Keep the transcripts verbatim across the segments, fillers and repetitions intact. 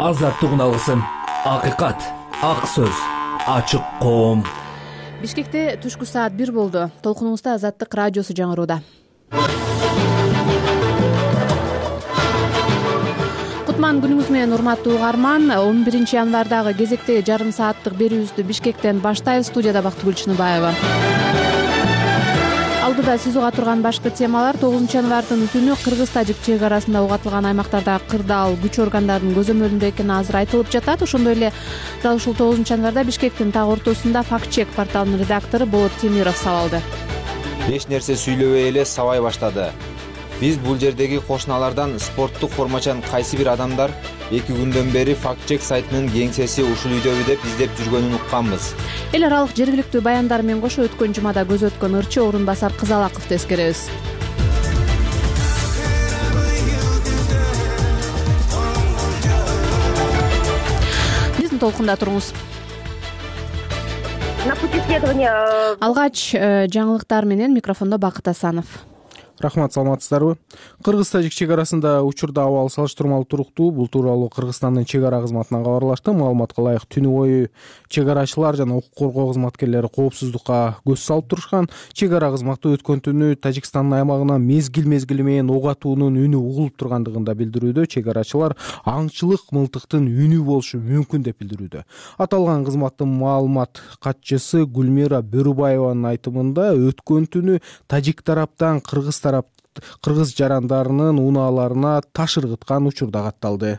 азаттык алгысын, акыйкат, ак сөз, ачык коом. Бишкекте түшкү саат бир болду. Толкунубузда Азаттык радиосу жаңырууда. Кутман күнүңүз менен, урматтуу угарман. он биринчи январдагы кезектеги жарым сааттык берүүбүздү Бишкектен баштайбыз. Студияда Бактыгүл Чыныбаева. Алдыда сиз уга турган башкы темалар: тогузунчу январдын түнү кыргыз-тажик чек арасында угатылган аймактарда кырдаал күч органдарынын көзөмөлүндө экени азыр айтылып жатат. Ошондой эле дал ушул тогузунчу январда Бишкектин так ортосунда Факт-чек порталынын редактору Болот Темиров сабалды. Эч нерсе сүйлөбөй эле сабай баштады. Биз бул жердеги кошуналардан спорттук формачан кайсы бир адамдар эки күндөн бери Факт-чек сайтынын кеңсеси ушул үйдөбү деп издеп жүргөнүн укканбыз. Эл аралык жергиликтүү баяндар менен кошо өткөн жумада көз өткөн ырчы орун басар Кызалаковду эскеребиз. Биздин толкунда туруңуз. На пути следования. Алгач жаңылыктар менен микрофондо Бакыт Асанов. Рахмат, саламатсыздарбы? Кыргыз-тажик чек арасында учурда абал салыштырмалуу туруктуу. Бул тууралуу Кыргызстандын чек ара кызматынан кабарлашты. Маалыматка ылайык, түнү бою чек арачылар жана укук коргоо кызматкерлери коопсуздукка көз салып турушкан. Чек ара кызматы өткөн түнү Тажикстандын аймагынан мезгил мезгили менен ок атуунун үнү угулуп тургандыгын да билдирүүдө. Чек арачылар аңчылык мылтыктын үнү болушу мүмкүн деп билдирүүдө. Аталган кызматтын маалымат катчысы Гүлмира Бөрүбаеванын айтымында өткөн түнү тажик тараптан кыргыз тарап кыргыз жарандарынын унааларына таш ыргыткан учурда катталды.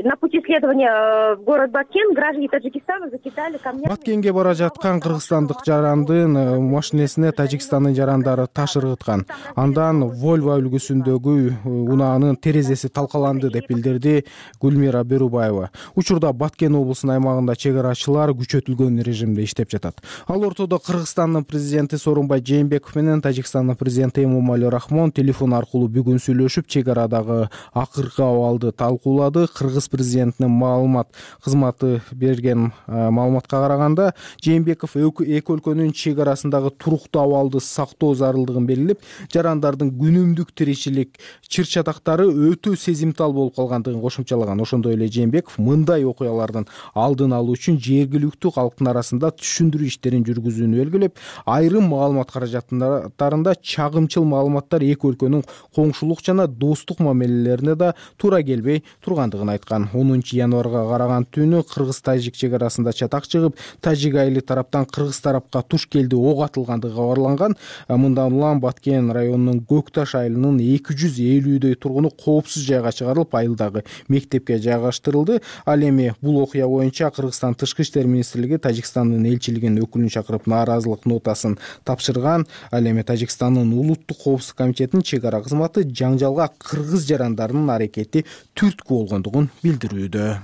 На пути следования в город Баткен граждане Таджикистана закидали камнями. Баткенге бара жаткан кыргызстандык жарандын машинесине Тажикстандын жарандары таш ыргыткан. Андан Volvo үлгүсүндөгү унаанын терезеси талкаланды деп билдирди Гүлмира Бөрүбаева. Учурда Баткен облусунун аймагында чек арачылар күчөтүлгөн режимде иштеп жатат. Ал ортодо Кыргызстандын президенти Сооронбай Жээнбеков менен Тажикстандын президенти Эмомали Рахмон телефон аркылуу бүгүн сүйлөшүп, чек арадагы акыркы абалды талкуулады. Кыргыз президентинин маалымат кызматы берген маалыматка караганда, Жээнбеков эки өлкөнүн чек арасындагы туруктуу абалды сактоо зарылдыгын белгилеп, жарандардын күнүмдүк тиричилик чыр-чатактары өтө сезимтал болуп калгандыгын кошумчалаган. Ошондой эле Жээнбеков мындай окуялардын алдын алуу үчүн жергиликтүү калктын арасында түшүндүрүү иштерин жүргүзүүнү белгилеп, айрым маалымат каражаттарында чагымчыл маалыматтар эки өлкөнүн коңшулук жана достук мамилелерине да туура келбей тургандыгын айткан. онунчу январга караган түнү кыргыз-тажик чек арасында чатак чыгып, тажик айылы тараптан кыргыз тарапка туш келди ок атылгандыгы кабарланган. Мындан улам Баткен районунун Көк Таш айылынын эки жүз элүүдөй тургуну коопсуз жайга чыгарылып, айылдагы мектепке жайгаштырылды. Ал эми бул окуя боюнча Кыргызстан Тышкы иштер министрлиги Тажикстандын элчилигинин өкүлүн чакырып нааразылык нотасын тапшырган. Ал эми Тажикстандын улуттук коопсуздук комитетинин чек ара кызматы жаңжалга кыргыз жарандарынын аракети түрткү болгондугун билдирүүдө.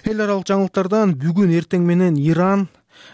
Эл аралык жаңылыктардан бүгүн эртең менен Иран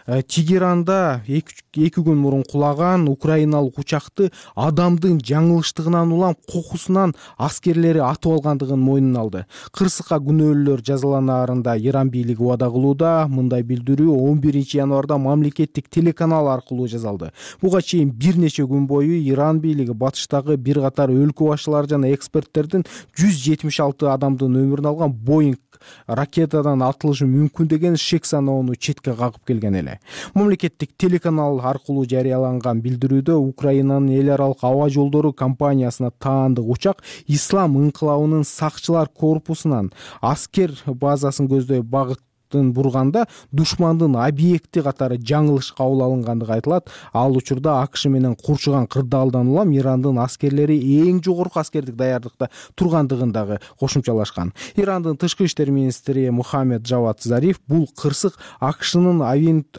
Тегеранда эки күн мурун кулаган украиналык учакты адамдын жаңылыштыгынан улам кокусунан аскерлери атып алгандыгын мойнуна алды. Кырсыкка күнөөлөр жазаланаарында Иран бийлиги убада кылууда. Мындай билдирүү он биринчи январда мамлекеттик телеканал аркылуу жазалды. Буга чейин бир нече күн бою Иран бийлиги батыштагы бир катар өлкө башчылары жана эксперттердин жүз жетимиш алты адамдын өмүрүн алган Боинг ракетадан атылышы мүмкүн деген шек саноону четке кагып келген эле. Мамлекеттик телеканал аркылуу жарыяланган билдирүүдө Украинанын эл аралык аба жолдору компаниясына таандык учак Ислам ыңкылабынын сакчылар корпусунан аскер базасын көздөй багыт бурганда душмандын объекти катары жаңылыш кабыл алынгандыгы айтылат. Ал учурда АКШ менен курчуган кырдаалдан улам Ирандын аскерлери эң жогорку аскердик даярдыкта тургандыгын дагы кошумчалашкан. Ирандын тышкы иштер министри Мухаммед Джавад Зариф бул кырсык АКШнын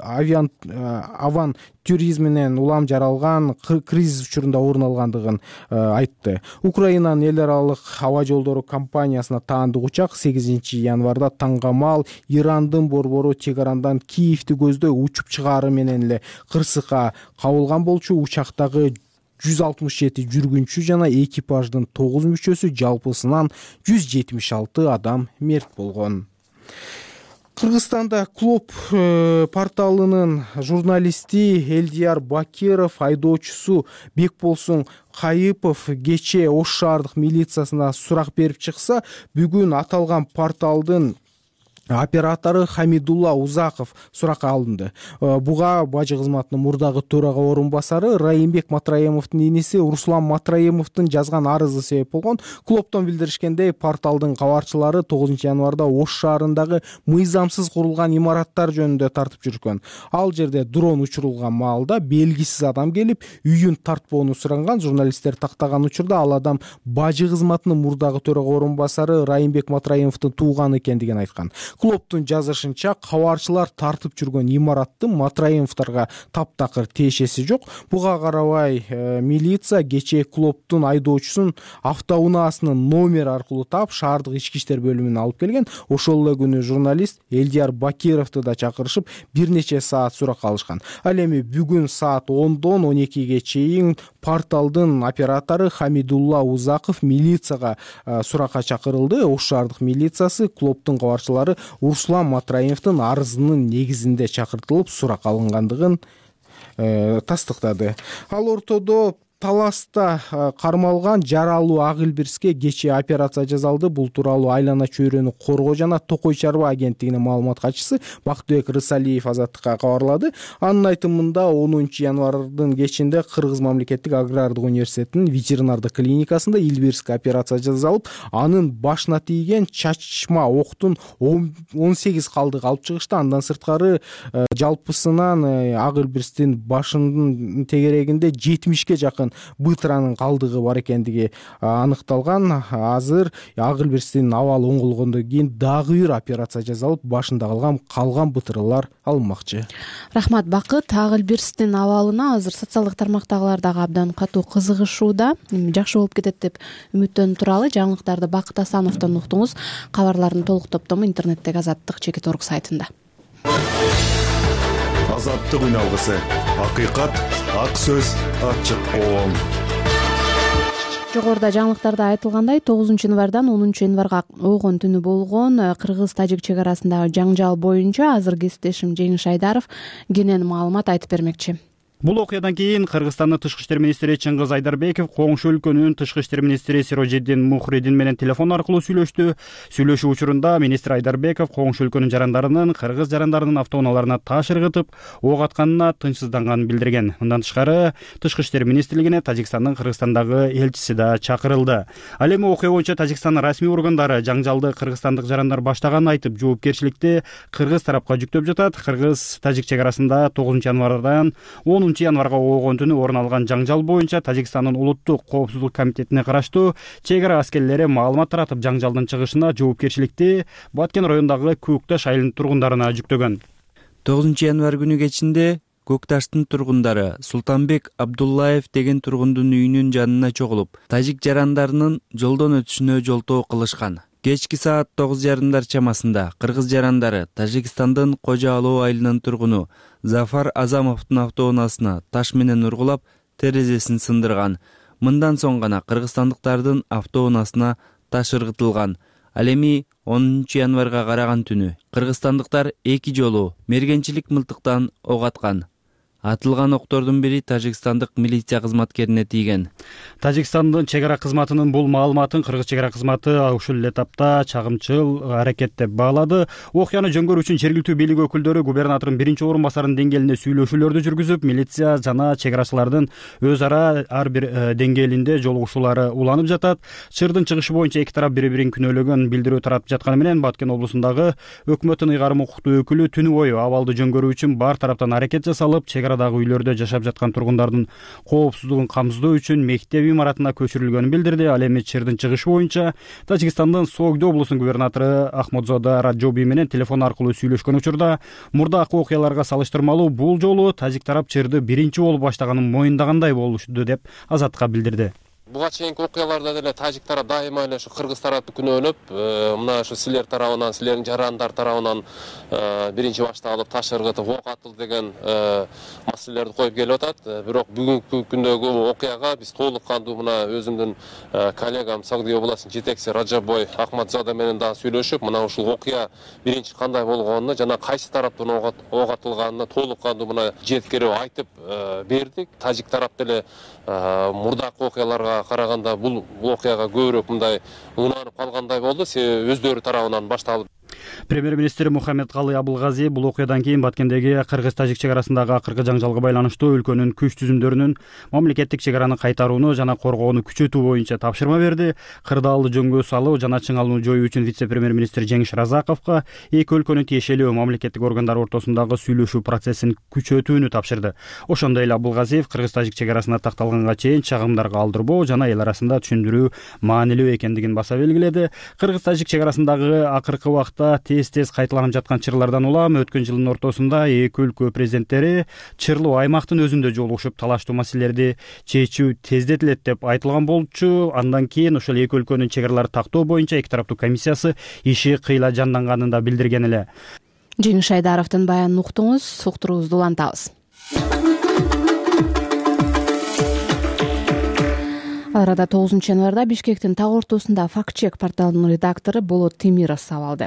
авиан аван туризминен улам жаралган кризис учурунда орун алгандыгын айтты. Украинанын эл аралык аба жолдору компаниясына таандык учак сегизинчи январда таңгамал Ирандын борбору Тегерандан Киевти көздөй учуп чыгаары менен эле кырсыкка кабылган болчу. Учактагы жүз алтымыш жети жүргүнчү жана экипаждын тогуз мүчөсү, жалпысынан жүз жетимиш алты адам мерт болгон. Кыргызстанда Клоп порталынын журналисти Элдияр Бакиров айдоочусу Бекболсун Кайыпов кечээ Ош шаардык милициясына сурак берип чыкса, бүгүн аталган порталдын оператору Хамидулла Узаков суракка алынды. Буга бажы кызматынын мурдагы төрага орун басары Райымбек Матраимовдун иниси Руслан Матраимовдун жазган арызы себеп болгон. Клубтон билдиришкендей, порталдын кабарчылары тогузунчу январда Ош шаарындагы мыйзамсыз курулган имараттар жөнүндө тартып жүргөн. Ал жерде дрон учурулган маалда белгисиз адам келип, үйүн тартпоону суранган. Журналисттер тактаган учурда ал адам бажы кызматынын мурдагы төрага орун басары Райымбек Матраимовдун тууганы экендигин айткан. Клубтун жазышынча, кабарчылар тартып жүргөн имараттын Матраимовдорго таптакыр тиешеси жок. Буга карабай милиция кечээ клубтун айдоочусун автоунаасынын номери аркылуу таап, шаардык ички иштер бөлүмүнө алып келген. Ошол эле күнү журналист Элдияр Бакировду да чакырышып, бир нече саат сурак алышкан. Ал эми бүгүн саат ондон он экиге чейин порталдын оператору Хамидулла Узаков милицияга суракка чакырылды. Ош шаардык милициясы клубтун кабарчылары Руслан Матраимовдун арызынын негизинде чакыртылып сурак алынгандыгын тастыктады. Ал ортодо Таласта кармалган жаралуу Ак Илбирске кечээ операция жасалды. Бул тууралуу Айлана чөйрөнү коргоо жана Токой чарба агенттигинин маалымат катчысы Бактыбек Рысалиев Азаттыкка кабарлады. Анын айтымында онунчу январдын кечинде Кыргыз мамлекеттик агрардык университетинин ветеринардык клиникасында Илбирске операция жасалып, анын башына тийген чачма октун он сегиз калдыгы алып чыгышты. Андан сырткары жалпысынан Ак Илбирстин башынын тегерегинде жетимишке жакын бытыранын калдыгы бар экендиги аныкталган. Азыр Ак Илбирстин абалы оңголгондон кийин дагы бир операция жасалып, башында калган калган бытыралар алынмакчы. Рахмат, Бакыт. Ак Илбирстин абалына азыр социалдык тармактагылар дагы абдан катуу кызыгышууда. Жакшы болуп кетет деп үмүттөнүп туралы. Жаңылыктарды Бакыт Асановдон уктуңуз. Кабарлардын толук топтому интернеттеги Азаттык чекит орг сайтында. Азаттык үн алгысы. Акыйкат, ак сөз, ачык коом. Жогоруда жаңылыктарда айтылгандай, тогузунчу январдан онунчу январга огон түнү болгон кыргыз-тажик чек арасындагы жаңжал боюнча азыр кесиптешим Жеңиш Айдаров кенен маалымат айтып бермекчи. Бул окуядан кийин Кыргызстандын тышкы иштер министри Чыңгыз Айдарбеков коңшу өлкөнүн тышкы иштер министри Сирожиддин Мухридин менен телефон аркылуу сүйлөштү. Сүйлөшүү учурунда министр Айдарбеков коңшу өлкөнүн жарандарынын кыргыз жарандарынын автоунааларына таш ыргытып, ок атканына тынчсызданганын билдирген. Мындан тышкары тышкы иштер министрлигине Тажикстандын Кыргызстандагы элчиси да чакырылды. Ал эми окуя боюнча Тажикстандын расмий органдары жаңжалды кыргызстандык жарандар баштаганын айтып, жоопкерчиликти кыргыз тарапка жүктөп жатат. Кыргыз-тажик чек арасында тогузунчу январдан онунчу январга огон түнү орун алган жаңжал боюнча Тажикстандын улуттук коопсуздук комитетине караштуу чек ара аскерлери маалымат таратып, жаңжалдын чыгышына жоопкерчиликти Баткен районундагы Көкташ айылынын тургундарына жүктөгөн. тогузунчу январ күнү кечинде Көкташтын тургундары Султанбек Абдуллаев деген тургундун үйүнүн жанына чогулуп, тажик жарандарынын жолдон өтүшүнө жолтоо кылышкан. Кечки саат тогуз жарымдар чамасында кыргыз жарандары Тажикстандын Кожо Алоо айылынын тургуну Зафар Азамовдун автоунаасына таш менен ургулап, терезесин сындырган. Мындан соң гана кыргызстандыктардын автоунаасына таш ыргытылган. Ал эми онунчу январга караган түнү кыргызстандыктар эки жолу мергенчилик мылтыктан ок аткан. Атылган октордун бири тажикстандык милиция кызматкерине тийген. Тажикстандын чек ара кызматынын бул маалыматын кыргыз чек ара кызматы ушул эле тапта чагымчыл аракет деп баалады. Окуяны жөнгөрүү үчүн жергиликтүү бийлик өкүлдөрү губернатордун биринчи орун басарынын деңгээлинде сүйлөшүүлөрдү жүргүзүп, милиция жана чек арачылардын өз ара ар бир деңгээлинде жолугушуулары уланып жатат. Чырдын чыгышы боюнча эки тарап бири-бирин күнөөлөгөн билдирүү таратып жатканы менен Баткен облусундагы өкмөттүн ыйгарым укуктуу өкүлү түнү бою абалды жөнгөрүү үчүн бар тараптан аракет жасалып, чек арадагы үйлөрдө жашап жаткан тургундардын коопсуздугун камсыздоо үчүн мектеп имаратына көчүрүлгөнүн билдирди. Ал эми чырдын чыгышы боюнча Тажикстандын Согдо облусунун губернатору Ахмадзода Раджоби менен телефон аркылуу сүйлөшкөн учурда мурдакы окуяларга салыштырмалуу бул жолу тажик тарап чырды биринчи болуп баштаганын моюндагандай болушту деп Азаттыкка билдирди. Буга чейинки окуяларда деле тажик тарап дайыма эле ушу кыргыз тарапты күнөөлөп, мына ушу силер тарабынан, силердин жарандар тарабынан биринчи башта алып таш ыргытып ок атылды деген маселелерди коюп келип атат. Бирок бүгүнкү күндөгү окуяга биз толук кандуу мына өзүмдүн коллегам Согдо областынын жетекчиси Раджабой Ахмадзода менен дагы сүйлөшүп, мына ушул окуя биринчи кандай болгонуну жана кайсы тараптан ок атылганына толук кандуу мына жеткирип айтып бердик. Тажик тарап деле мурдакы окуяларга караганда бул окуяга көбүрөөк мындай унаанып калгандай болду. Себеби өздөрү тарабынан башталып. Премьер-министр Мухаммедкалый Абылгазиев бул окуядан кийин Баткендеги кыргыз-тажик чек арасындагы акыркы жаңжалга байланыштуу өлкөнүн күч түзүмдөрүнүн мамлекеттик чек араны кайтарууну жана коргоону күчөтүү боюнча тапшырма берди. Кырдаалды жөнгө салуу жана чыңалууну жоюу үчүн вице-премьер-министр Жеңиш Разаковго эки өлкөнүн тиешелүү мамлекеттик органдары ортосундагы сүйлөшүү процессин күчөтүүнү тапшырды. Ошондой эле Абылгазиев кыргыз-тажик чек арасына такталганга чейин чагымдарга алдырбоо жана эл арасында түшүндүрүү маанилүү экендигин баса белгиледи. Кыргыз-тажик чек арасындагы акыркы убакта тез-тез кайталанып жаткан чырлардан улам өткөн жылдын ортосунда эки өлкө президенттери чырлуу аймактын өзүндө жолугушуп талаштуу маселелерди чечүү тездетилет деп айтылган болчу. Андан кийин ошол эки өлкөнүн чек араларын тактоо боюнча эки тараптуу комиссиясы иши кыйла жанданганын да билдирген эле. Жеңиш Айдаровдун баянын уктуңуз, уктуруубузду улантабыз. Ал арада тогузунчу январда Бишкектин так ортосунда факт-чек порталынын редактору Болот Темиров сабалды.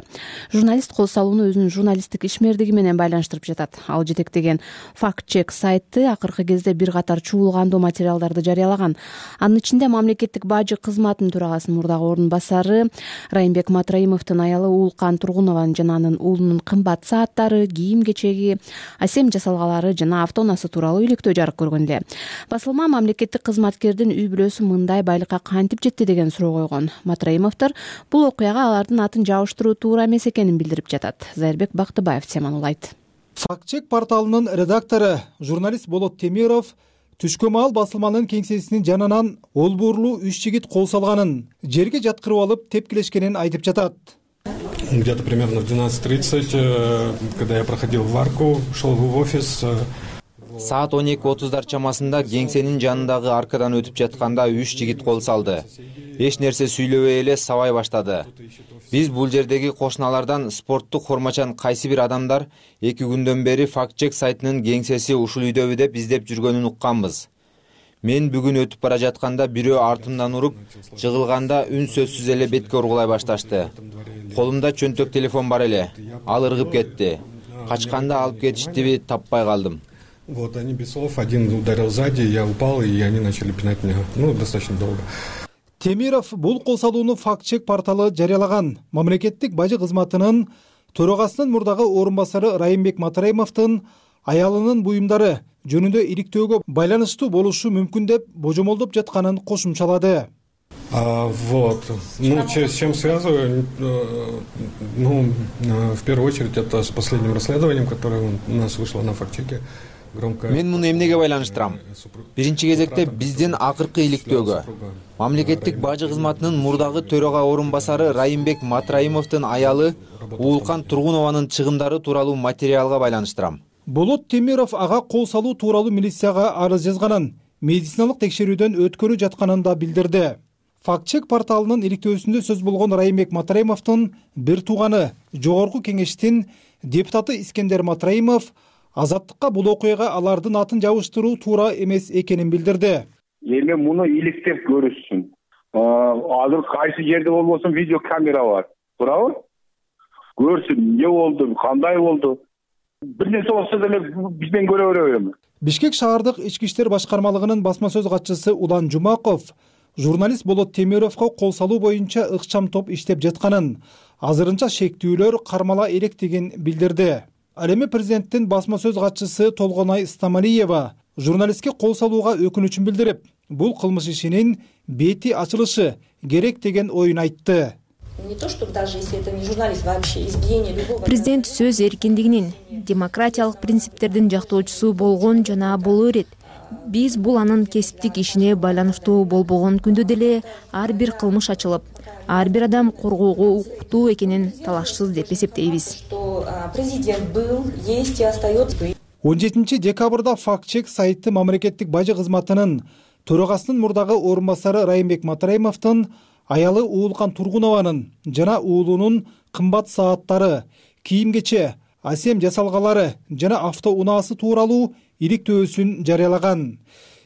Журналист кол салууну өзүнүн журналисттик ишмердиги менен байланыштырып жатат. Ал жетектеген факт-чек сайты акыркы кезде бир катар чуулгандуу материалдарды жарыялаган. Анын ичинде мамлекеттик бажы кызматынын төрагасынын мурдагы орун басары Райымбек Матраимовдун аялы Уулкан Тургунованын жана анын уулунун кымбат сааттары, кийим-кечеги, асем жасалгалары жана автоунаасы тууралуу иликтөө жарык көргөн эле. Басылма мамлекеттик кызматкердин үй бүлөсү мындай байлыкка кантип жетти деген суроо койгон. Матраимовдор бул окуяга алардын атын жабыштыруу туура эмес экенин билдирип жатат. Зайырбек Бактыбаев теманы улайт. Факт-чек порталынын редактору журналист Болот Темиров түшкө маал басылманын кеңсесинин жанынан олбуурлуу үч жигит кол салганын, жерге жаткырып алып тепкилешкенин айтып жатат. Где-то примерно в двенадцать тридцать, когда я проходил варку, шел в офис. Саат он эки отуздар чамасында кеңсенин жанындагы аркадан өтүп жатканда үч жигит кол салды. Эч нерсе сүйлөбөй эле сабай баштады. Биз бул жердеги кошуналардан спорттук формачан кайсы бир адамдар эки күндөн бери факт-чек сайтынын кеңсеси ушул үйдөбү деп издеп жүргөнүн укканбыз. Мен бүгүн өтүп бара жатканда бирөө артымдан уруп, жыгылганда үн сөзсүз эле бетке ургулай башташты. Колумда чөнтөк телефон бар эле. Ал ыргып кетти. Качканда алып кетиштиби таппай калдым. Вот, они без слов, один ударил сзади, я упал, и они начали пинать меня, ну, достаточно долго. Темиров бул кол салууну факт-чек порталы жарыялаган. Мамлекеттик бажы кызматынын төрагасынын мурдагы орун басары Райымбек Матраимовдун аялынын буюмдары жөнүндө иликтөөгө байланыштуу болушу мүмкүн деп божомолдоп жатканын кошумчалады. А, вот, ну, с чем связываю, ну, в первую очередь, это с последним расследованием, которое у нас вышло на факт-чеке. Мен муну эмнеге байланыштырам? Биринчи кезекте биздин акыркы иликтөөгө мамлекеттик бажы кызматынын мурдагы төрага орун басары Райымбек Матраимовдун аялы Уулкан Тургунованын чыгымдары тууралуу материалга байланыштырам. Болот Темиров ага кол салуу тууралуу милицияга арыз жазганын, медициналык текшерүүдөн өткөрүп жатканын да билдирди. Факт-чек порталынын иликтөөсүндө сөз болгон Райымбек Матраимовдун бир тууганы, жогорку кеңештин депутаты Искендер Матраимов Азаттыкка бул окуяга алардын атын жабыштыруу туура эмес экенин билдирди. Эми муну иликтеп көрүшсүн. Азыр кайсы жерде болбосун видео камера бар. Туурабы? Көрсүн, эмне болду, кандай болду. Бир нерсе болсо деле бизден көрө беребиз. Бишкек шаардык ички иштер башкармалыгынын басма сөз катчысы Улан Жумаков журналист Болот Темировго кол салуу боюнча ыкчам топ иштеп жатканын, азырынча шектүүлөр кармала электигин билдирди. Ал эми президенттин басма сөз катчысы Толгонай Стамалиева журналистке кол салууга өкүнүчүн билдирип, бул кылмыш ишинин бети ачылышы керек деген оюн айтты. Не то, что даже если это не журналист, вообще избиение любого. Президент сөз эркиндигинин, демократиялык принциптердин жактоочусу болгон жана боло берет. Биз бул анын кесиптик ишине байланыштуу болбогон күндө деле ар бир кылмыш ачылып, ар бир адам коргоого укуктуу экенин талашсыз деп эсептейбиз. Президент был, есть и остается. он жетинчи декабрда факт-чек сайты мамлекеттик бажы кызматынын төрагасынын мурдагы орун басары Райымбек Матраимовдун аялы Уулкан Тургунованын жана уулунун кымбат сааттары, кийим-кече, асем жасалгалары жана автоунаасы тууралуу иликтөөсүн жарыялаган.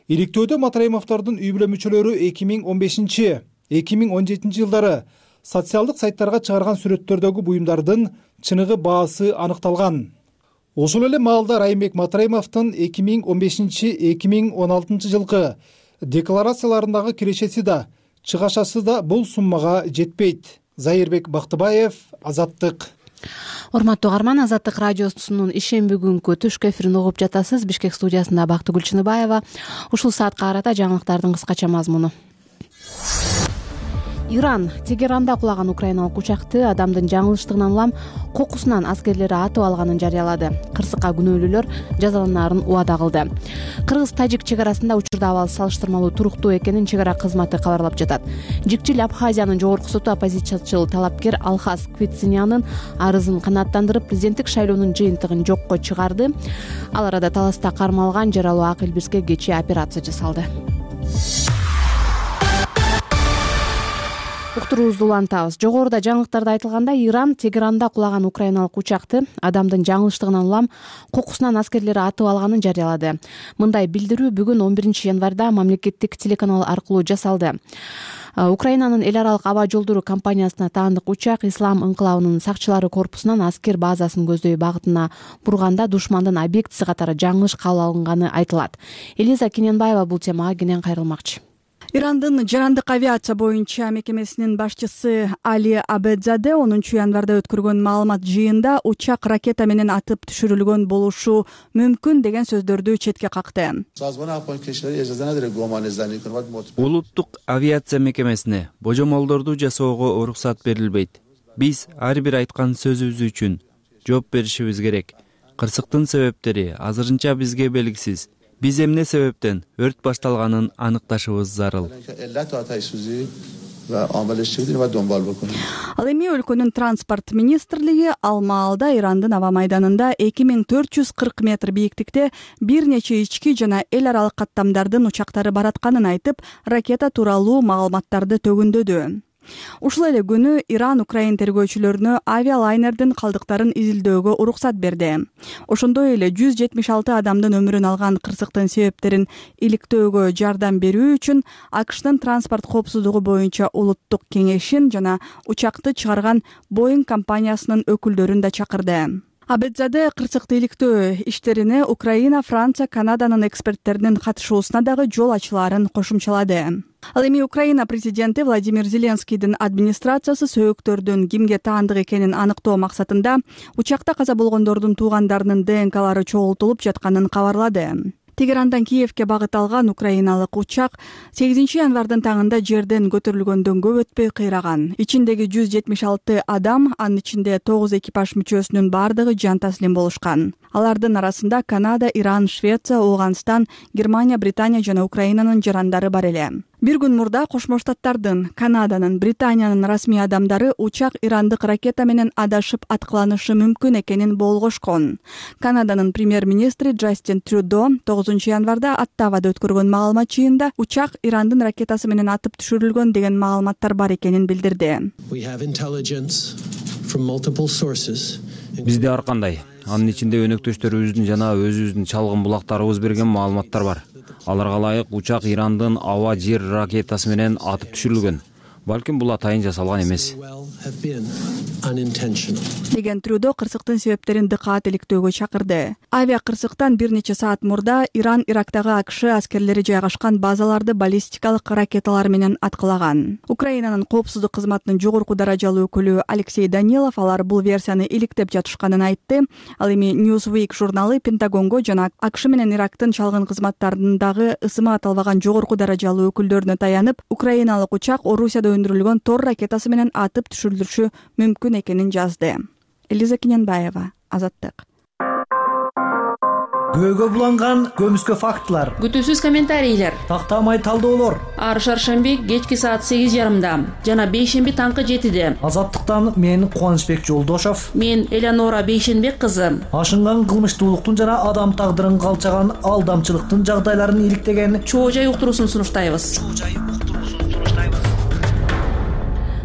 Иликтөөдө Матраимовдордун үй бүлө мүчөлөрү эки миң он бешинчи эки миң он жетинчи жылдары социалдык сайттарга чыгарган сүрөттөрдөгү буюмдардын чыныгы баасы аныкталган. Ошол эле маалда Райымбек Матраимовдун эки миң он бешинчи эки миң он алтынчы жылкы декларацияларындагы кирешеси да, чыгашасы да бул суммага жетпейт. Зайырбек Бактыбаев, Азаттык. урматтуу угарман, Азаттык радиосунун ишемби күнкү түшкү эфирин угуп жатасыз. Бишкек студиясында Бактыгүл Чыныбаева. Ушул саатка карата жаңылыктардын кыскача мазмуну. Иран Тегеранда кулаган украиналык учакты адамдын жаңылыштыгынан улам кокусунан аскерлери атып алганын жарыялады. Кырсыкка күнөөлүүлөр жазаланаарын убада кылды. Кыргыз-тажик чек арасында учурда абал салыштырмалуу туруктуу экенин чек ара кызматы кабарлап жатат. Жикчил Абхазиянын жогорку соту оппозициячыл талапкер Алхас Квитсинянын арызын канааттандырып, президенттик шайлоонун жыйынтыгын жокко чыгарды. Ал арада таласта кармалган жаралуу Ак Элбирске кечээ операция жасалды. Уктуруубузду улантабыз. Жогоруда жаңылыктарда айтылгандай, Иран Тегеранда кулаган украиналык учакты адамдын жаңылыштыгынан улам кокусунан аскерлери атып алганын жарыялады. Мындай билдирүү бүгүн он биринчи январда мамлекеттик телеканал аркылуу жасалды. Украинанын эл аралык аба жолдору компаниясына таандык учак Ислам ыңкылабынын сакчылары корпусунан аскер базасын көздөй багытына бурганда душмандын объектиси катары жаңылыш кабыл алынганы айтылат. Элиза Кененбаева бул темага кенен кайрылмакчы. Ирандын жарандык авиация боюнча мекемесинин башчысы Али Абедзаде онунчу январда өткөргөн маалымат жыйында учак ракета менен атып түшүрүлгөн болушу мүмкүн деген сөздөрдү четке какты. Улуттук авиация мекемесине божомолдорду жасоого уруксат берилбейт. Биз ар бир айткан сөзүбүз үчүн жооп беришибиз керек. Кырсыктын себептери азырынча бизге белгисиз. Биз эмне себептен өрт башталганын аныкташыбыз зарыл. Ал эми өлкөнүн транспорт министрлиги ал маалда Ирандын аба майданында эки миң төрт жүз кырк метр бийиктикте бир нече ички жана эл аралык каттамдардын учактары баратканын айтып, ракета тууралуу маалыматтарды төгүндөдү. Ушул эле күнү Иран Украин тергөөчүлөрүнө авиалайнердин калдыктарын изилдөөгө уруксат берди. Ошондой эле жүз жетимиш алты адамдын өмүрүн алган кырсыктын себептерин иликтөөгө жардам берүү үчүн АКШтын транспорт коопсуздугу боюнча улуттук кеңешин жана учакты чыгарган Boeing компаниясынын өкүлдөрүн да чакырды. Абедзаде кырсыкты иликтөө иштерине Украина, Франция, Канаданын эксперттеринин катышуусуна дагы жол ачылаарын кошумчалады. Ал эми Украина президенти Владимир Зеленскийдин администрациясы сөйөктөрдүн кимге таандык экенин аныктоо максатында учакта каза болгондордун туугандарынын ДНКлары чогултулуп жатканын кабарлады. Тегерандан Киевке багыт алган украиналык учак сегизинчи январдын таңында жерден көтөрүлгөндөн көп өтпөй кыйраган. Ичиндеги жүз жетимиш алты адам, анын ичинде тогуз экипаж мүчөсүнүн бардыгы жан таслим болушкан. Алардын арасында Канада, Иран, Швеция, Ооганстан, Германия, Британия жана Украинанын жарандары бар эле. Бир күн мурда Кошмо Штаттардын, Канаданын, Британиянын расмий адамдары учак ирандык ракета менен адашып аткыланышы мүмкүн экенин болгошкон. Канаданын премьер-министри Джастин Трюдо тогузунчу январда Оттавада өткөргөн маалымат жыйында учак Ирандын ракетасы менен атып түшүрүлгөн деген маалыматтар бар экенин билдирди. Бизде ар кандай, анын ичинде өнөктөштөрүбүздүн жана өзүбүздүн чалгын булактарыбыз берген маалыматтар бар. Аларга ылайык учак Ирандын аба жер ракетасы менен атып түшүрүлгөн. Балким бул атайын жасалган эмес. Деген Трюдо кырсыктын себептерин дыкаат иликтөөгө чакырды. Авиа кырсыктан бир нече саат мурда Иран Ирактагы АКШ аскерлери жайгашкан базаларды баллистикалык ракеталар менен аткылаган. Украинанын коопсуздук кызматынын жогорку даражалуу өкүлү Алексей Данилов алар бул версияны иликтеп жатышканын айтты. Ал эми Newsweek журналы Пентагонго жана АКШ менен Ирактын чалгын кызматтарындагы ысымы аталбаган жогорку даражалуу өкүлдөрүнө таянып, украиналык учак Орусияда өндүрүлгөн Тор ракетасы менен атып түшүрүлүшү мүмкүн экенин жазды. Элиза Кененбаева, Азаттык. Көөгө буланган көмүскө фактылар, күтүүсүз комментарийлер, тактамай талдоолор. Ар шаршемби кечки саат сегиз жарымда жана бейшемби таңкы жетиде. Азаттыктан мен Кубанычбек Жолдошов, мен Элеонора Бейшенбек кызы. Ашынган кылмыштуулуктун жана адам тагдырын калчаган алдамчылыктын жагдайларын иликтеген Чоо жай уктуруусун сунуштайбыз.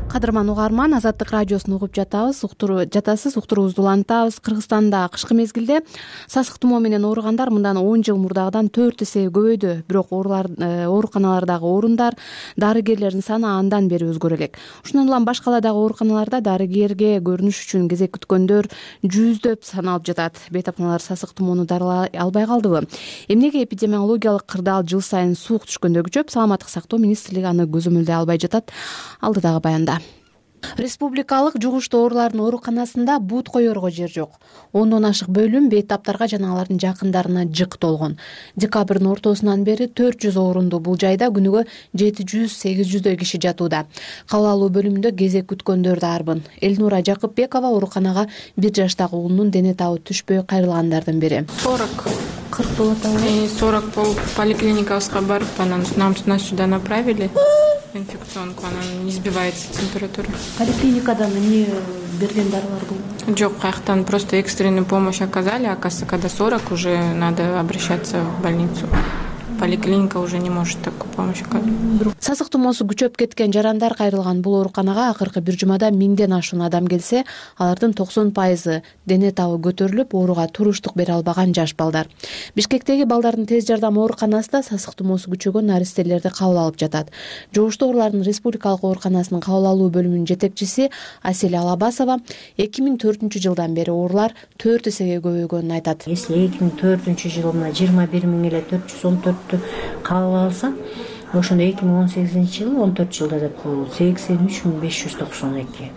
Кадырман угарман, Азаттык радиосун угуп жатабыз, уктуруу жатасыз, уктуруубузду улантабыз. Кыргызстанда кышкы мезгилде сасык тумоо менен ооругандар мындан он жыл мурдагыдан төрт эсе көбөйдү. Бирок ооруканалардагы орундар, дарыгерлердин саны андан бери өзгөрө элек. Ушундан улам башка каладагы ооруканаларда дарыгерге көрүнүш үчүн кезек күткөндөр жүздөп саналып жатат. Бейтапканалар сасык тумоону дарылай албай калдыбы? Эмнеге эпидемиологиялык кырдаал жыл сайын суук түшкөндө күчөп, Саламаттык сактоо министрлиги аны көзөмөлдөй албай жатат? Алдыдагы баянда. Республикалык жугуштуу оорулардын ооруканасында бут коерго жер жок. ондон ашык бөлүм бейтаптарга жана алардын жакындарына жык толгон. Декабрдын ортосунан бери төрт жүз орунду бул жайда күнүгө жети жүз сегиз жүздөй киши жатууда. Кабыл алуу бөлүмүндө кезек күткөндөр да арбын. Элнура Жакыпбекова ооруканага бир жаштагы уулунун дене табы түшпөй кайрылгандардын бири. сорок кырк болот и сорок болуп поликлиникабызга барып, анан нас сюда направили. Инфекционку, анан не сбивается температура. Поликлиникадан эмне берген дарылар бул? Жок, каяктан просто экстренную помощь оказали, оказывается, когда сорок уже надо обращаться в больницу. Поликлиника уже не может такую помощь оказать. Сасык тумоосу күчөп кеткен жарандар кайрылган бул ооруканага акыркы бир жумада миңден ашуун адам келсе, алардын токсон пайызы дене табы көтөрүлүп, ооруга туруштук бере албаган жаш балдар. Бишкектеги балдардын тез жардам ооруканасында сасык тумоосу күчөгөн наристелерди кабыл алып жатат. Жугуштуу оорулардын республикалык ооруканасынын кабыл алуу бөлүмүнүн жетекчиси Асель Алабасова эки миң төртүнчү жылдан бери оорулар төрт эсеге көбөйгөнүн айтат. Если эки миң төртүнчү жылы мына жыйырма бир миң эле төрт жүз он төрттү кабыл алса, ошондо эки миң он сегизинчи жылы он төрт жылда деп коелу сексен үч миң беш жүз токсон эки.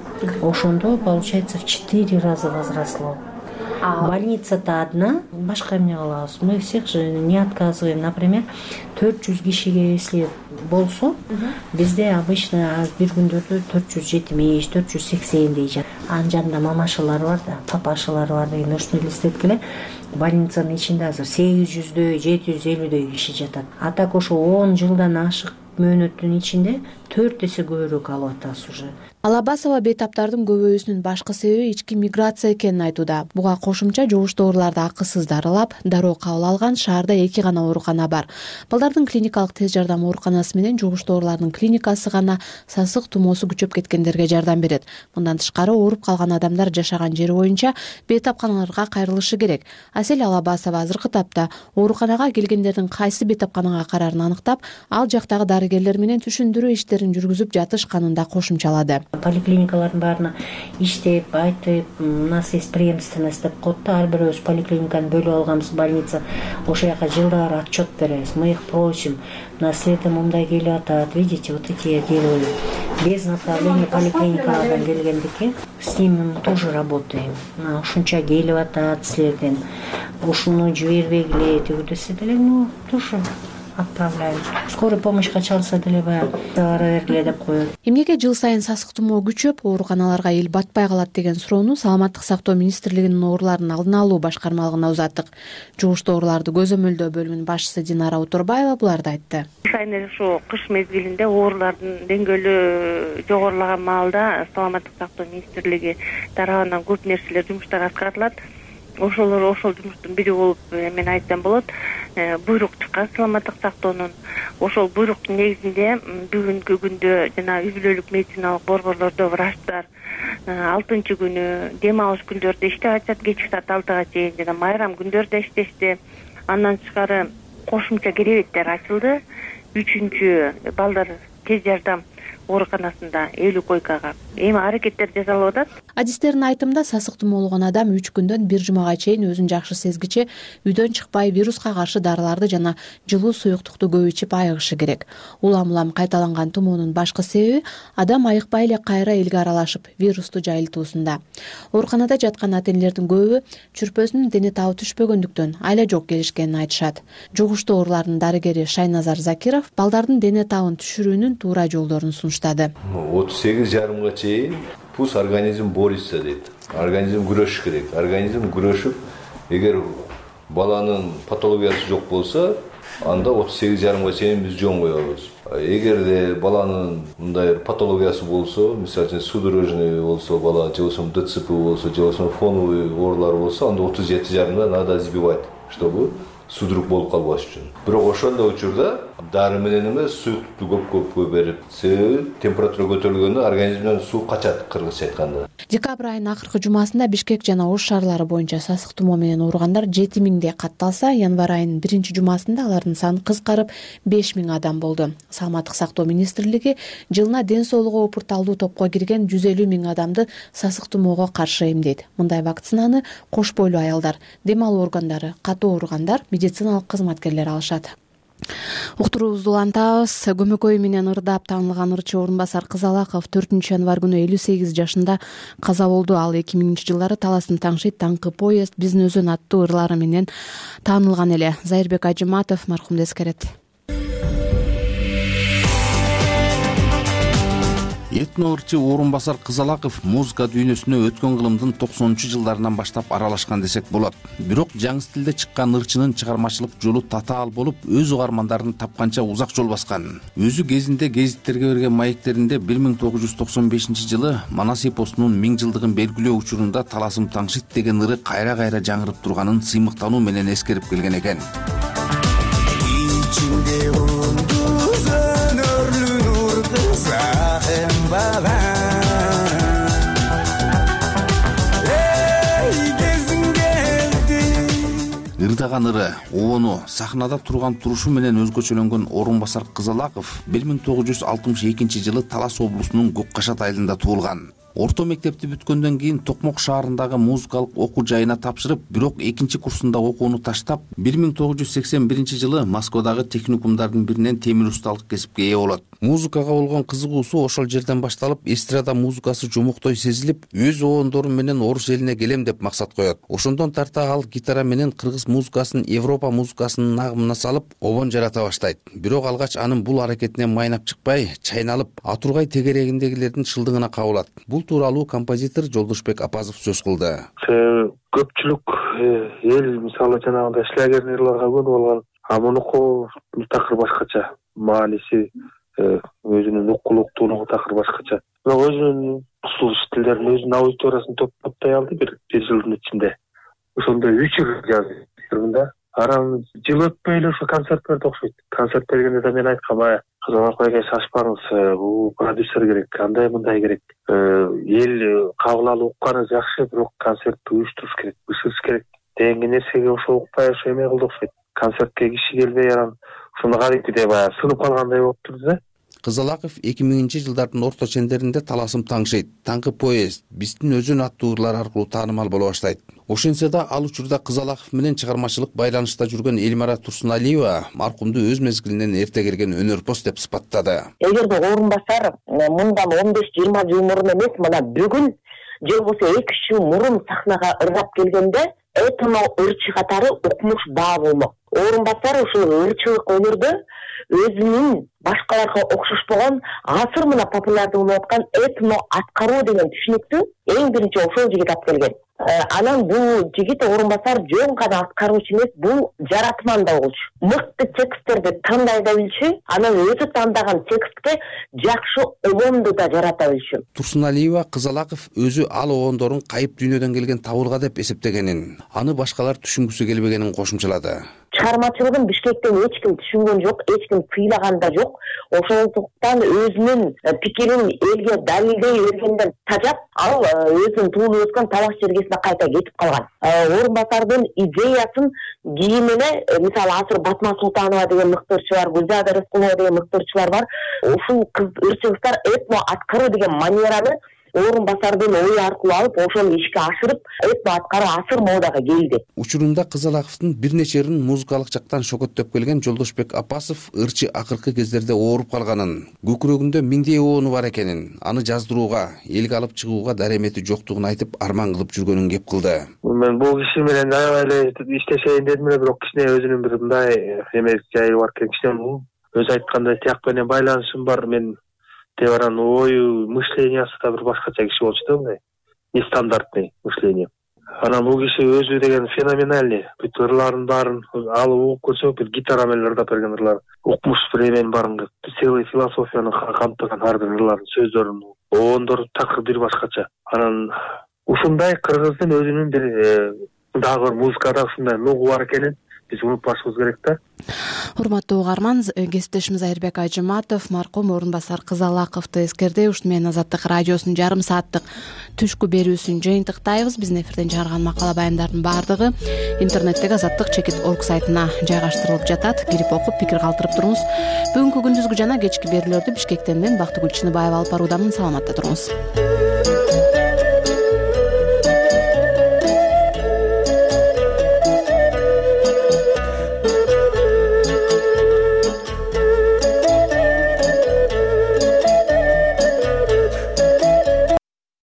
Ошондо получается в четыре раза возросло. Больница-то одна, башка эмне кылабыз? Мы всех же не отказываем. Например, төрт жүз кишиге если болсо, бизде обычно бир күндөрдө төрт жүз жетимиш, төрт жүз сексендей жат. Анын жанында мамашалар бар да, папашалар бар деген ошону элестеткиле. Больницанын ичинде азыр сегиз жүздөй, жети жүз элүүдөй киши жатат. А так ошо он жылдан ашык мөөнөттүн ичинде төрт эсе көбүрөөк алып атабыз уже. Алабасова бейтаптардын көбөйүүсүнүн башкы себеби ички миграция экенин айтууда. Буга кошумча жугуштуу ооруларды акысыз дарылап, дароо кабыл алган шаарда эки гана оорукана бар. Балдардын клиникалык тез жардам ооруканасы менен жугуштуу оорулардын клиникасы гана сасык тумоосу күчөп кеткендерге жардам берет. Мындан тышкары ооруп калган адамдар жашаган жери боюнча бейтапканаларга кайрылышы керек. Асель Алабасова азыркы тапта ооруканага келгендердин кайсы бейтапканага карарын аныктап, ал жактагы дарыгерлер менен түшүндүрүү иштерин жүргүзүп жатышканын да кошумчалады. Поликлиникалардын баарына иштеп, айтып, у нас есть преемственность деп коет да, ар бирөөбүз поликлиниканы бөлүп алганбыз, больница. Ошол жака жылдары отчет беребиз. Мы их просим. Наследие мындай келип атат. Видите, вот эти герои. Без направления поликлиникадан келгендики, с ними мы тоже работаем. Ушунча келип атат силерден. Ушуну жибербегиле деп десе деле, ну, тоже отправляют. Скорая помощька чалса деле баягы бара бергиле деп коет. Эмнеге жыл сайын сасык тумоо күчөп, ооруканаларга эл батпай калат деген суроону Саламаттык сактоо министрлигинин оорулардын алдын алуу башкармалыгына узаттык. Жугуштуу ооруларды көзөмөлдөө бөлүмүнүн башчысы Динара Утурбаева буларды айтты. Айнеле ушу кыш мезгилинде оорулардын деңгээли жогорулаган маалда Саламаттык сактоо министрлиги тарабынан көп нерселер, жумуштар аткарылат. Ошолор ошол жумуштун бири болуп мен айтсам болот. Буйрук чыккан Саламаттык сактоонун. Ошол буйруктун негизинде бүгүнкү күндө жана үй бүлөлүк медициналык борборлордо врачтар алтынчы күнү дем алыш күндөрдө иштеп атышат, кечки саат алтыга чейин жана майрам күндөрдө иштешти. Андан тышкары кошумча керебеттер ачылды. Үчүнчү балдар тез жардам ооруканасында элүү койкага эми аракеттер жасалып атат. Адистердин айтымында сасык тумоолгон адам үч күндөн бир жумага чейин өзүн жакшы сезгиче үйдөн чыкпай вируска каршы дарыларды жана жылуу суюктукту көп ичип айыгышы керек. Улам-улам кайталанган тумоонун башкы себеби адам айыкпай эле кайра элге аралашып вирусту жайылтуусунда. Ооруканада жаткан ата-энелердин көбү чүрпөсүнүн дене табы түшпөгөндүктөн айла жок келишкенин айтышат. Жугуштуу оорулардын дарыгери Шайназар Закиров балдардын дене табын түшүрүүнүн туура жолдорун сунуштады. отуз сегиз жарымга чейин пусть организм борется дейт. Организм күрөшүш керек. Организм күрөшүп, эгер баланын патологиясы жок болсо, анда отуз сегиз жарымга чейин биз жөн коебуз. Эгерде баланын мындай патологиясы болсо, мисалы үчүн судорожный болсо, бала же болбосо ДЦП болсо, же болбосо фоновый оорулар болсо, анда отуз жети жарымда надо сбивать, чтобы судорог болуп калбаш үчүн. Бирок ошондой учурда дары менен эмес, суюктукту көп-көп берип, себеби температура көтөрүлгөндө организмден суу качат, кыргызча айтканда. Декабрь айынын акыркы жумасында Бишкек жана Ош шаарлары боюнча сасык тумоо менен ооругандар жети миңдей катталса, январь айынын биринчи жумасында алардын саны кыскарып беш миң адам болду. Саламаттык сактоо министрлиги жылына ден соолугу опурталдуу топко кирген жүз элүү миң адамды сасык тумоого каршы эмдейт. Мындай вакцинаны кош бойлуу аялдар, дем алуу органдары, катуу ооругандар, медициналык кызматкерлер алышат. Уктуруубузду улантабыз. Көмөкөй менен ырдап таанылган ырчы Орун Басар Кызалаков төртүнчү январь күнү элүү сегиз жашында каза болду. Ал эки миңинчи жылдары Таластын таңшыйт, Таңкы поезд, Биздин өзүн аттуу ырлары менен таанылган эле. Зайырбек Ажыматов маркумду эскерет. Этно ырчы Орун Басар Кызалаков музыка дүйнөсүнө өткөн кылымдын токсонунчу жылдарынан баштап аралашкан десек болот. Бирок жаңы стилде чыккан ырчынын чыгармачылык жолу татаал болуп, өз угармандарын тапканча узак жол баскан. Өзү кезинде гезиттерге берген маектеринде бир миң тогуз жүз токсон бешинчи жылы Манас эпосунун миң жылдыгын белгилөө учурунда Таласым таңшыйт деген ыры кайра-кайра жаңырып турганын сыймыктануу менен эскерип келген экен. Ырдаган ыры, обону сахнада турган турушу менен өзгөчөлөнгөн Орун Басар Кызалаков бир миң тогуз жүз алтымыш экинчи жылы Талас облусунун Көк Кашат айылында туулган. Орто мектепти бүткөндөн кийин Токмок шаарындагы музыкалык окуу жайына тапшырып, бирок экинчи курсунда окууну таштап, бир миң тогуз жүз сексен биринчи жылы Москвадагы техникумдардын биринен темир усталык кесипке ээ болот. Музыкага болгон кызыгуусу ошол жерден башталып, эстрада музыкасы жумуктой сезилип, өз обондору менен Орус элине келем деп максат коёт. Ошондон тарта ал гитара менен кыргыз музыкасын Европа музыкасынын агымына салып, обон жарата баштайт. Бирок алгач анын бул аракетине майнап чыкпай, чайналып, Атургай тегерегиндегилердин шылдыгына кабылат. Бул тууралуу композитор Жолдошбек Апазов сөз кылды. Көпчүлүк эл мисалы жанагындай шлягерный ырларга көбү болгон, а мунуку такыр башкача. Мааниси, өзүнүн укулуктуулугу такыр башкача. Бирок өзүнүн усул стилдерин, өзүнүн аудиториясын топтой алды бир бир жылдын ичинде. Ошондой үч ыр жазды. Арам жыл өтпөй эле ошо концерт берди окшойт. Концерт бергенде да мен айткам, ая Кызалаков эге шашпаңыз, бул продюсер керек, андай мындай керек. Эл кабыл алып укканы жакшы, бирок концертти уюштуруш керек, бышырыш керек дегенге нерсеге ошо укпай ошо эме кылды окшойт. Концертке киши келбей анан ошондо кадимки деп ая сынып калгандай болуп турду да. Кызалаков эки миңинчи жылдардын орто чендеринде Таласым таңшыйт, Таңкы поезд, Биздин өзүн аттуу ырлар аркылуу таанымал боло баштайт. Ошентсе да ал учурда Кызалаков менен чыгармачылык байланышта жүргөн Эльмира Турсуналиева маркумду өз мезгилинен эрте келген өнөрпоз деп сыпаттады. Эгерде Орун Басар мындан он беш жыйырма жыл мурун эмес, мына бүгүн же болбосо эки үч жыл мурун сахнага ырдап келгенде этно ырчы катары укмуш баа болмок. Орун Басар ушул ырчылык өнөрдө өзүнүн башкаларга окшошпогон азыр мына популярдуу болуп аткан этно аткаруу деген түшүнүктү эң биринчи ошол жигит алып келген. Анан бул жигит Орун Басар жөн гана аткаруучу эмес, бул жаратман да болчу. Мыкты тексттерди тандай да билчү, анан өзү тандаган текстке жакшы обонду да жарата билчү. Турсуналиева Кызалаков өзү ал обондорун кайып дүйнөдөн келген табылга деп эсептегенин, аны башкалар түшүнгүсү келбегенин кошумчалады. Чыгармачылыгын Бишкектен эч ким түшүнгөн жок, эч ким тыйлаган да жок. Ошондуктан өзүнүн пикирин элге далилдей бергенден тажап, ал өзүнүн туулуп өскөн Талас жергесине кайта кетип калган. Орун Басардын идеясын кийин эле, мисалы азыр Батма Султанова деген мыкты ырчы бар, Гүлзада Рыскулова деген мыкты ырчылар бар. Ушул ырчылыктар этно аткаруу деген манераны Орун Басардын ою аркылуу алып, ошону ишке ашырып, этно аткаруу асыр модага келди. Учурунда Кызалаковдун бир нече ырын музыкалык жактан шөкөттөп келген Жолдошбек Апасов ырчы акыркы кездерде ооруп калганын, көкүрөгүндө миңдей обону бар экенин, аны жаздырууга, элге алып чыгууга даремети жоктугун айтып, арман кылып жүргөнүн кеп кылды. Мен бул киши менен аябай эле иштешейин дедим эле, бирок кичине өзүнүн бир мындай эме жайы бар экен. Кичине өзү айткандай тияк менен байланышым бар. Мен Теваран ою, мышлениясы да бир башкача киши болчу да, мындай нестандартный мышление. Анан бул киши өзү деген феноменальный. Бүт ырларын баарын алып угуп көрсөк, бир гитара менен ырдап берген ырлар. Укмуш бир эмен барын, целый философияны камтыган ар бир ырларын, сөздөрүн, обондору такыр бир башкача. Анан ушундай кыргыздын өзүнүн бир дагы бир музыкада ушундай нугу бар экенин биз унутпашыбыз керек да. Урматтуу угарман, кесиптешим Зайырбек Ажыматов маркум Орун Басар Кызалаковду эскерди. Ушуну менен Азаттык радиосунун жарым сааттык түшкү берүүсүн жыйынтыктайбыз. Биздин эфирден чыгарган макала баяндардын баардыгы интернеттеги азаттык чекит точка орг сайтына жайгаштырылып жатат. Кирип окуп, пикир калтырып туруңуз. Бүгүнкү күндүзгү жана кечки берүүлөрдү Бишкектен мен Бактыгүл Чыныбаева алып баруудамын. Саламатта туруңуз.